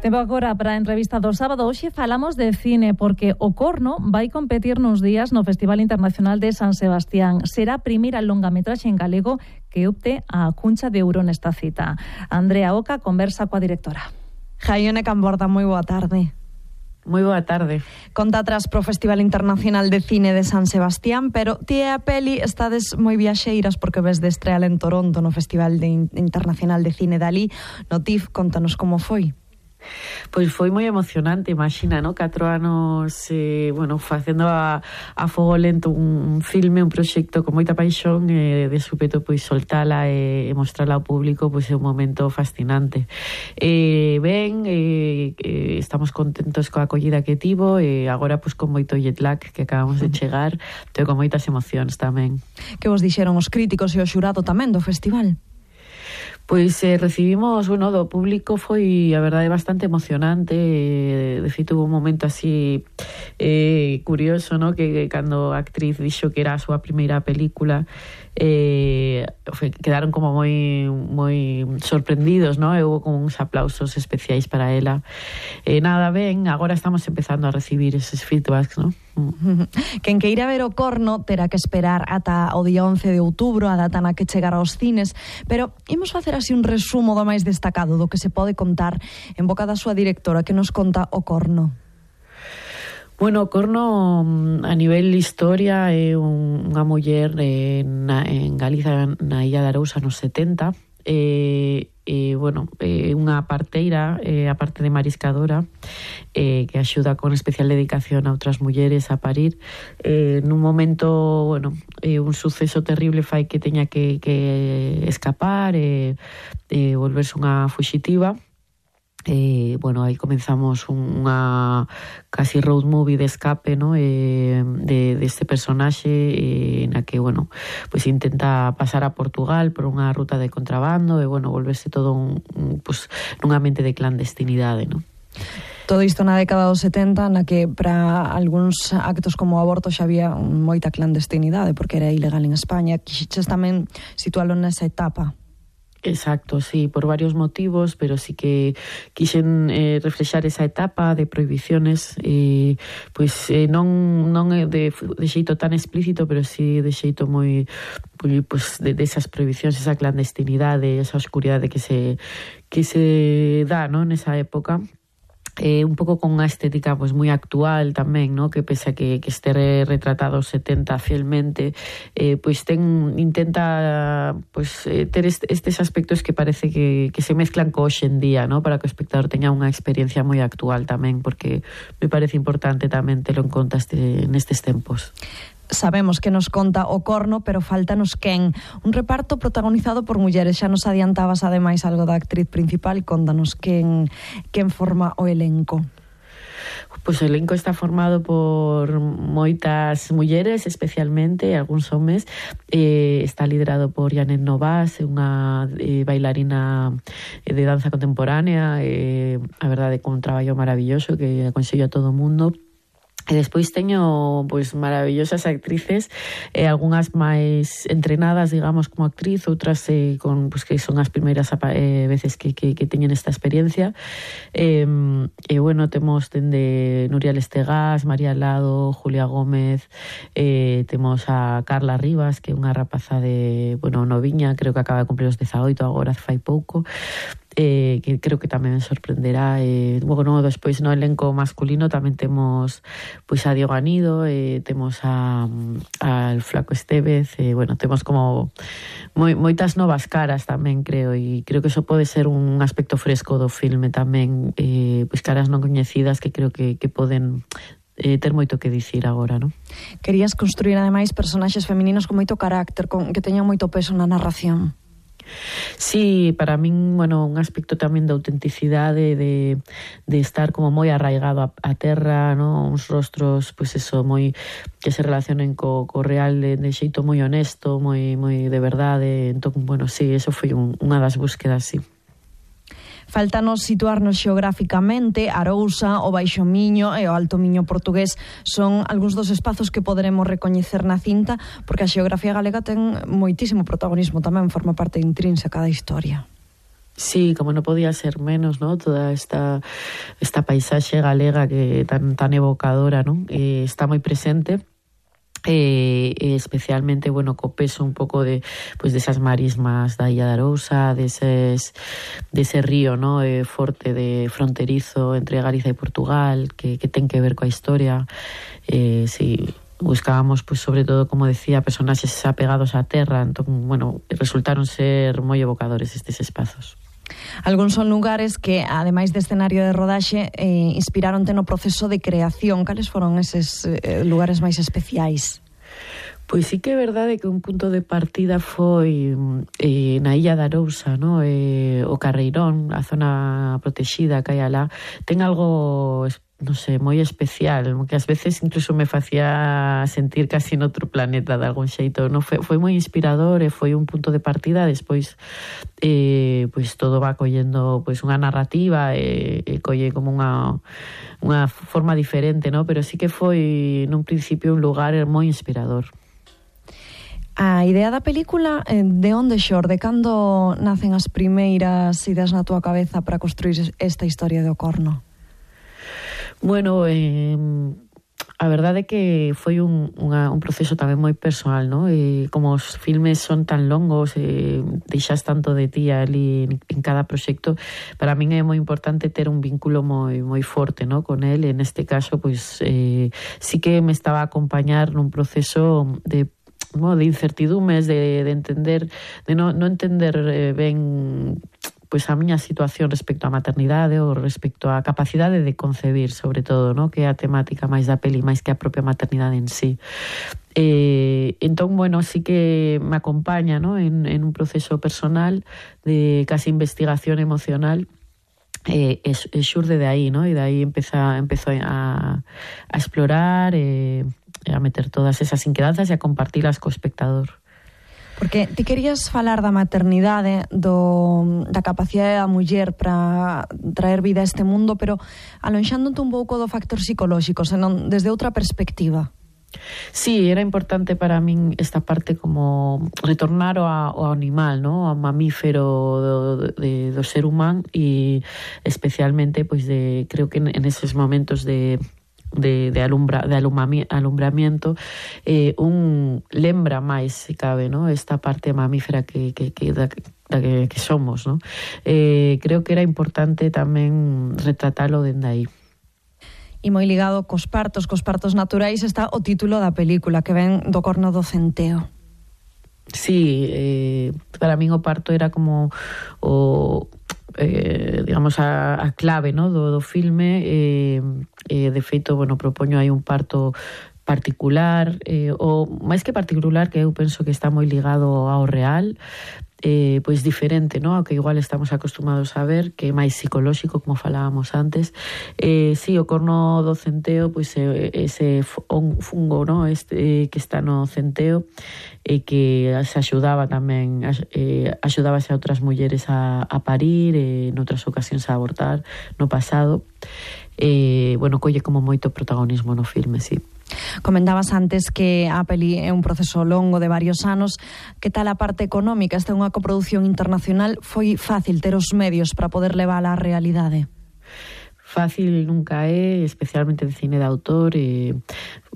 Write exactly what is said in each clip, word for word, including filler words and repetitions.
Tempo agora para a entrevista do sábado. Hoxe falamos de cine porque o Corno vai competir nos días no Festival Internacional de San Sebastián. Será a primeira longametraxe en galego que opte a cuncha de ouro nesta cita. Andrea Oca conversa coa directora. Jaione Camborda, moi boa tarde. Moi boa tarde. Conta atrás pro Festival Internacional de Cine de San Sebastián, pero ti e a peli estades moi viaxeiras porque ves de estreal en Toronto no Festival de Internacional de Cine dali. No T I F, contanos como foi. Pois foi moi emocionante, imagina, no? Catro anos, eh, bueno, facendo a, a fogo lento un, un filme, un proxecto con moita paixón, e eh, de súpeto, pois, soltala e, e mostrala ao público, pois, é un momento fascinante. Eh, ben, eh, eh, estamos contentos coa acollida que tivo, e agora, pois, con moito jet lag que acabamos de chegar, e con moitas emocións tamén. Que vos dixeron os críticos e o xurado tamén do festival? Pois eh, recibimos, bueno, do público foi, a verdade, bastante emocionante. Eh, de feito, hubo un momento así eh, curioso, ¿no? Que, que cando a actriz dixo que era a súa primeira película, eh, foi, quedaron como moi moi sorprendidos, ¿no? E hubo como uns aplausos especiais para ela. Eh, nada, ben, agora estamos empezando a recibir eses feedbacks, ¿no? Quen que ir a ver o Corno terá que esperar ata o día once de outubro, a data na que chegará aos cines, pero imos facer así un resumo do máis destacado do que se pode contar en boca da súa directora, que nos conta o Corno. Bueno, o Corno, a nivel historia, é un, unha muller eh, na, en Galiza, na Illa de Arousa, nos setenta, e, e bueno, é unha parteira, eh, a parte de mariscadora, eh, que axuda con especial dedicación a outras mulleres a parir. Eh, nun momento, bueno, eh, un suceso terrible fai que teña que, que escapar e eh, eh, volverse unha fuxitiva. Eh, bueno, aí comenzamos unha casi road movie de escape, ¿no? eh, de, de este personaxe eh, na que, bueno, pues intenta pasar a Portugal por unha ruta de contrabando e, bueno, volverse todo un, un, pues, nun ambiente de clandestinidade, ¿no? Todo isto na década dos setenta, na que para algúns actos como o aborto xa había moita clandestinidade porque era ilegal en España. Quixeches tamén situalo nesa etapa. Exacto, sí, por varios motivos, pero sí que quixen eh, reflexar esa etapa de prohibiciones, eh, pois eh, non non de, de xeito tan explícito, pero sí de xeito moi, moi pois de, de esas prohibicións, esa clandestinidade, esa oscuridade que se que se dá, ¿no? Nesa época. Eh, un pouco con unha estética pues, moi actual tamén, ¿no? Que pese a que, que este retratado setenta fielmente, eh, pois ten, intenta pues, eh, ter est, estes aspectos que parece que, que se mezclan co hoxe en día, ¿no? Para que o espectador teña unha experiencia moi actual tamén, porque me parece importante tamén telo en conta este, nestes tempos. Sabemos que nos conta o Corno, pero faltanos quen. Un reparto protagonizado por mulleres. Xa nos adiantabas ademais algo da actriz principal. Contanos quen, quen forma o elenco. Pois o elenco está formado por moitas mulleres, especialmente, algúns homes. Eh, está liderado por Janet Novas, unha eh, bailarina de danza contemporánea, eh, a verdade, con un traballo maravilloso que aconsello a todo o mundo. E despois teño pois maravillosas actrices, eh, algunhas máis entrenadas, digamos, como actriz, outras eh, con pois que son as primeiras eh, veces que, que, que teñen esta experiencia. E eh, eh, bueno, temos dende Nuria Lestegás, María Lado, Julia Gómez, eh, temos a Carla Rivas, que é unha rapaza de, bueno, noviña, creo que acaba de cumplir os dezaoito agora, fai pouco. Eh, que creo que tamén me sorprenderá. Eh, bueno, despois no elenco masculino tamén temos pois a Diego Anido, eh, temos a al Flaco Estevez, eh, bueno, temos como moi, moitas novas caras tamén, creo, e creo que eso pode ser un aspecto fresco do filme tamén, eh, pois caras non coñecidas que creo que, que poden eh, ter moito que dicir agora, non? Querías construir ademais personaxes femininos con moito carácter, con que teñan moito peso na narración. Sí, para min, bueno, un aspecto tamén de autenticidade, de, de estar como moi arraigado a, a terra, ¿no? Uns rostros, pois pues eso, moi que se relacionen co, co real de, de xeito moi honesto, moi moi de verdade. Entón, bueno, sí, eso foi un, unha das búsquedas, sí. Faltanos situarnos xeográficamente. Arousa, o Baixo Miño e o Alto Miño portugués son algúns dos espazos que poderemos recoñecer na cinta, porque a xeografía galega ten moitísimo protagonismo tamén, forma parte intrínseca da historia. Sí, como no podía ser menos, ¿no? Toda esta, esta paisaxe galega que tan, tan evocadora, ¿no? Eh, está moi presente. Eh, especialmente, bueno, co peso un pouco de, pues, de esas marismas da Illa de Arousa, de, eses, de ese río, ¿no? Eh, forte de fronterizo entre Galicia e Portugal, que, que ten que ver coa historia. Eh, sí, buscábamos, pues, sobre todo, como decía, personaxes apegados á terra, entón, bueno, resultaron ser moi evocadores estes espazos. Algúns son lugares que, ademais de escenario de rodaxe, eh, inspiraronte no proceso de creación. Cales foron eses eh, lugares máis especiais? Pois sí que é verdade que un punto de partida foi eh, na Illa de Arousa, no? eh, o Carreirón, a zona protexida que hai alá, ten algo, non sei, moi especial, que ás veces incluso me facía sentir casi noutro planeta de algún xeito. No? Foi, foi moi inspirador e foi un punto de partida. Despois eh, pois todo va collendo pois unha narrativa e, e colle como unha unha forma diferente, no? Pero sí que foi nun principio un lugar moi inspirador. A idea da película, eh, de onde xorde? Cando nacen as primeiras ideas na túa cabeza para construir esta historia de Ocorno? Bueno, eh, a verdade é que foi un, unha, un proceso tamén moi personal, ¿no? E como os filmes son tan longos, e deixas tanto de ti ali en, en cada proxecto, para min é moi importante ter un vínculo moi moi forte, ¿no? Con el. En este caso, pois eh, sí que me estaba a acompañar nun proceso de no, de incertidumes, de, de entender, de no, no entender eh, ben pois a miña situación respecto á maternidade ou respecto á capacidade de concebir, sobre todo, no? Que é a temática máis da peli, máis que a propia maternidade en sí. Eh, entón, bueno, sí que me acompaña, no? en, en un proceso personal de casi investigación emocional. Eh, e, e xurde de aí, no? E de aí empeza, empezo a, a explorar e eh, a meter todas esas inquedanzas e a compartilas co espectador. Porque ti querías falar da maternidade, do, da capacidade da muller para traer vida a este mundo, pero alonxándote un pouco do factor psicolóxico, senón desde outra perspectiva. Sí, era importante para min esta parte como retornar ao, ao animal, ¿no? Ao mamífero do, de, do ser humano e especialmente, pois, de, creo que en, en eses momentos de de, de, alumbra, de alumbramiento eh, un lembra máis, se cabe, ¿no? Esta parte mamífera que, que, que, da, da que, que somos, ¿no? Eh, creo que era importante tamén retratalo dende aí. E moi ligado cos partos, cos partos naturais, está o título da película, que ven do corno do centeo. Sí, eh, para min o parto era como o... Eh, digamos a, a clave, ¿no? do, do filme. eh, eh, de feito, bueno, propoño aí un parto particular, eh, ou máis que particular, que eu penso que está moi ligado ao real, eh, pois diferente, ¿no? Ao que igual estamos acostumados a ver, que é máis psicolóxico, como falábamos antes. Eh, sí, o corno do centeo, pois é ese fungo, ¿no? Este, que está no centeo, e que se axudaba tamén, eh, axudábase a outras mulleres a, a parir, e noutras ocasións a abortar no pasado. Eh, bueno, colle como moito protagonismo no filme, sí. Comentabas antes que a peli é un proceso longo de varios anos. Que tal a parte económica? Esta é unha coproducción internacional. Foi fácil ter os medios para poder levar á realidade? Fácil nunca é, especialmente de cine de autor. E,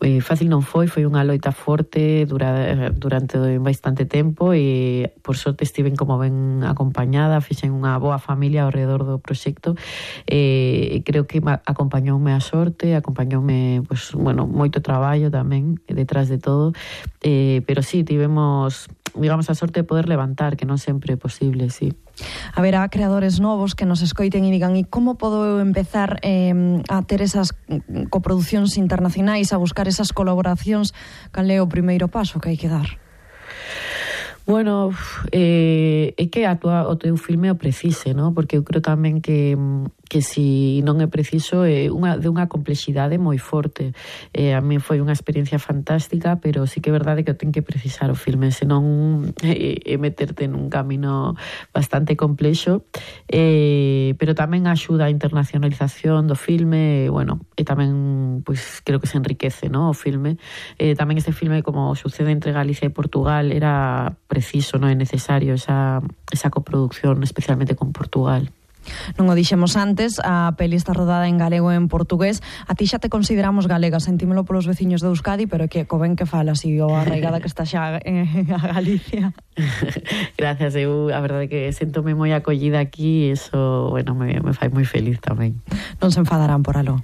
e fácil non foi, foi unha loita forte dura, durante bastante tempo, e por sorte estiven como ben acompañada, fixen unha boa familia ao redor do proxecto, e creo que acompañoume a sorte, acompañoume, pues, bueno, moito traballo tamén detrás de todo, eh, pero sí, tivemos, digamos, a sorte de poder levantar, que non sempre é posible, sí. Haberá creadores novos que nos escoiten e digan, e como podo eu empezar eh, a ter esas coproducións internacionais, a buscar esas colaboracións? Cal é o primeiro paso que hai que dar? Bueno, eh, é que a tua, o teu filme o precise, ¿no? Porque eu creo tamén que que si non é preciso é unha, de unha complexidade moi forte. Eh, a mí foi unha experiencia fantástica, pero sí que é verdade que ten que precisar o filme, senón é, é meterte nun camino bastante complexo, eh, pero tamén axuda a internacionalización do filme, e, bueno, e tamén pois, creo que se enriquece, ¿no? O filme. Eh, tamén este filme, como sucede entre Galicia e Portugal, era preciso, non é necesario esa, esa coproducción, especialmente con Portugal. Non o dixemos antes, a peli está rodada en galego e en portugués. A ti xa te consideramos galega, sentímolo polos veciños de Euskadi, pero que co ben que falas e o arraigada que está xa en Galicia. Gracias, eu a verdade que sentome moi acollida aquí e iso, bueno, me, me fai moi feliz tamén. Non se enfadarán por algo?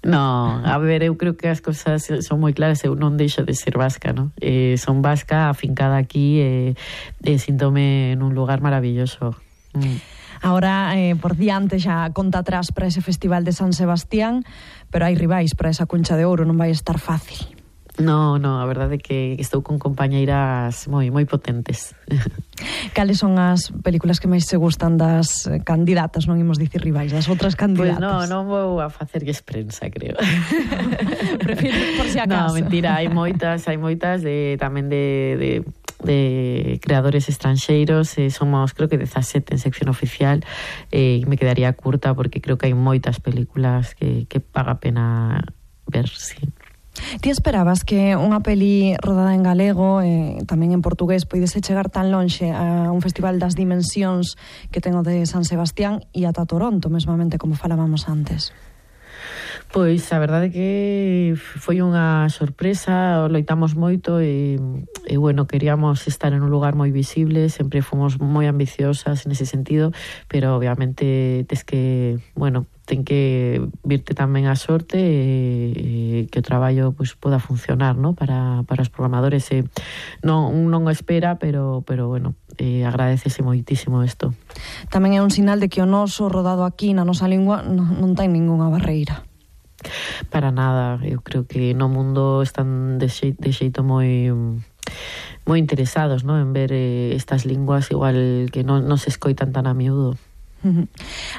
No, a ver, eu creo que as cosas son moi claras, eu non deixo de ser vasca, ¿no? Eh, son vasca, afincada aquí e, e síntome nun lugar maravilloso. Mm. Ahora, eh, por diante, xa conta atrás para ese festival de San Sebastián, pero hai rivais para esa Concha de Ouro, non vai estar fácil. No, no, a verdade é que estou con compañeiras moi moi potentes. Cales son as películas que máis se gustan das candidatas, non imos dicir rivais, das outras candidatas? Pois pues no, non vou a facerlles prensa, creo. Prefiro por si acaso. No, mentira, hai moitas, hai moitas de, tamén de... de de creadores estranxeiros, eh, somos creo que dezasete en sección oficial, e eh, me quedaría curta porque creo que hai moitas películas que, que paga pena ver, sí. Ti esperabas que unha peli rodada en galego e eh, tamén en portugués poidese chegar tan lonxe a un festival das dimensións que ten o de San Sebastián e ata Toronto, mesmamente, como falábamos antes? Pois a verdade que foi unha sorpresa, loitamos moito e, e bueno, queríamos estar en un lugar moi visible, sempre fomos moi ambiciosas nese sentido, pero obviamente tes que, bueno, ten que virte tamén a sorte e, e que o traballo pues, poda funcionar, ¿no? para, para os programadores. E non, non o espera, pero, pero bueno, eh, agradecese moitísimo isto. Tamén é un sinal de que o noso rodado aquí na nosa lingua non, non ten ningunha barreira. Para nada, eu creo que no mundo están de xeito, de xeito moi moi interesados, ¿no? En ver eh, estas linguas, igual que non, non se escoitan tan a miúdo. Uh-huh.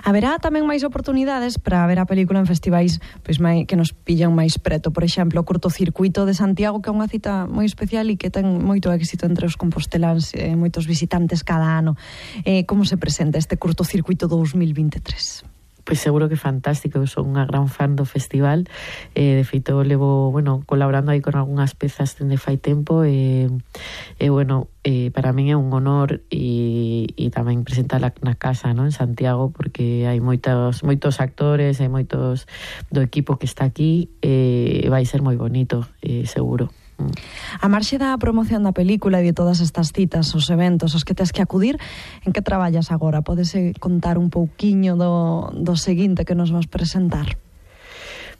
Haberá tamén máis oportunidades para ver a película en festivais pois, mai, que nos pillan máis preto. Por exemplo, o Curtocircuito de Santiago, que é unha cita moi especial e que ten moito éxito entre os composteláns, eh, moitos visitantes cada ano. Eh, como se presenta este Curtocircuito dous mil vinte e tres? Pois seguro que fantástico, eu son unha gran fan do festival, eh, de feito levo, bueno, colaborando aí con algunhas pezas dende fai tempo e, e bueno, eh, para min é un honor e, e tamén presentala na casa, ¿no? En Santiago, porque hai moitos moitos actores, hai moitos do equipo que está aquí e vai ser moi bonito, eh, seguro. A marxe da promoción da película e de todas estas citas, os eventos aos que tes que acudir, en que traballas agora? Podes contar un pouquiño do, do seguinte que nos vas presentar?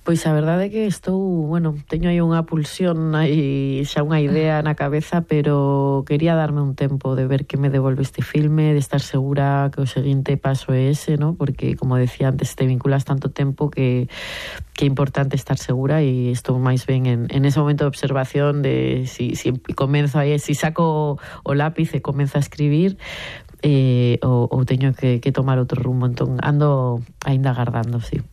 Pois a verdade é que estou, bueno, teño aí unha pulsión, aí xa unha idea na cabeza, pero quería darme un tempo de ver que me devolve este filme, de estar segura que o seguinte paso é ese, ¿no? Porque, como decía antes, te vinculas tanto tempo que que é importante estar segura e estou máis ben en, en ese momento de observación de si, si comenzo aí, si saco o lápiz e comenzo a escribir, eh, ou, ou teño que, que tomar outro rumbo, entón ando aínda agardando, sí.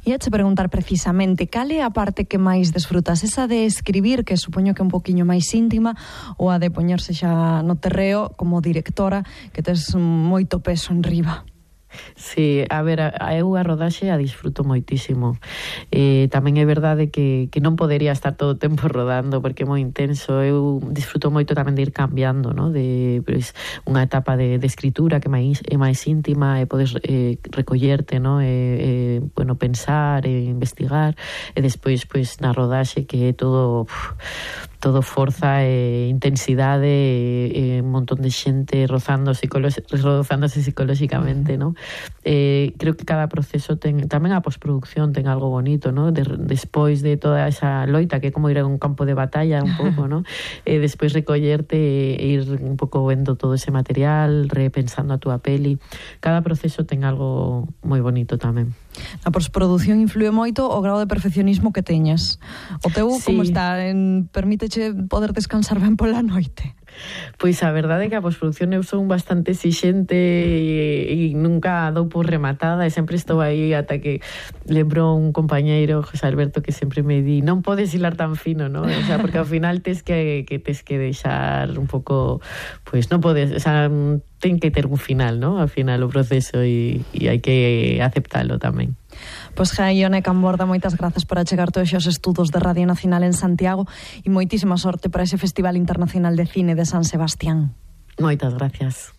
E a te preguntar precisamente, cal é a parte que máis desfrutas? Esa de escribir, que supoño que é un poquinho máis íntima, ou a de poñerse xa no terreo como directora, que tes moito peso en riba? Sí, a ver, a, a eu a rodaxe a disfruto moitísimo. Eh, tamén é verdade que, que non podería estar todo o tempo rodando porque é moi intenso. Eu disfruto moito tamén de ir cambiando, ¿no? De pues, unha etapa de, de escritura que máis, é máis íntima e podes eh, recollerte, ¿no? E, eh, bueno, pensar e investigar, e despois pues, na rodaxe que é todo uf, todo forza e intensidade e, e un montón de xente rozando psicolo- rozándose psicolóxicamente, ¿no? Eh, creo que cada proceso ten, tamén a postproducción ten algo bonito, ¿no? De, despois de toda esa loita que é como ir a un campo de batalla un pouco, ¿no? E despois recollerte e ir un pouco vendo todo ese material, repensando a túa peli. Cada proceso ten algo moi bonito tamén. A postproducción influe moito o grado de perfeccionismo que teñas. O teu, sí. Como está? En, permíteche poder descansar ben pola noite? Pois a verdade é que a postproducción eu son bastante exixente e, e nunca dou por rematada e sempre estou aí ata que lembro un compañeiro, José Alberto, que sempre me di non podes hilar tan fino, ¿no? O sea, porque ao final tes que, que tes que deixar un pouco, pois non podes, o sea, ten que ter un final, ¿no? Ao final o proceso e, e hai que aceptalo tamén. Pois Ione Camborda, moitas grazas por achegar todos os estudos de Radio Nacional en Santiago e moitísima sorte para ese Festival Internacional de Cine de San Sebastián. Moitas gracias.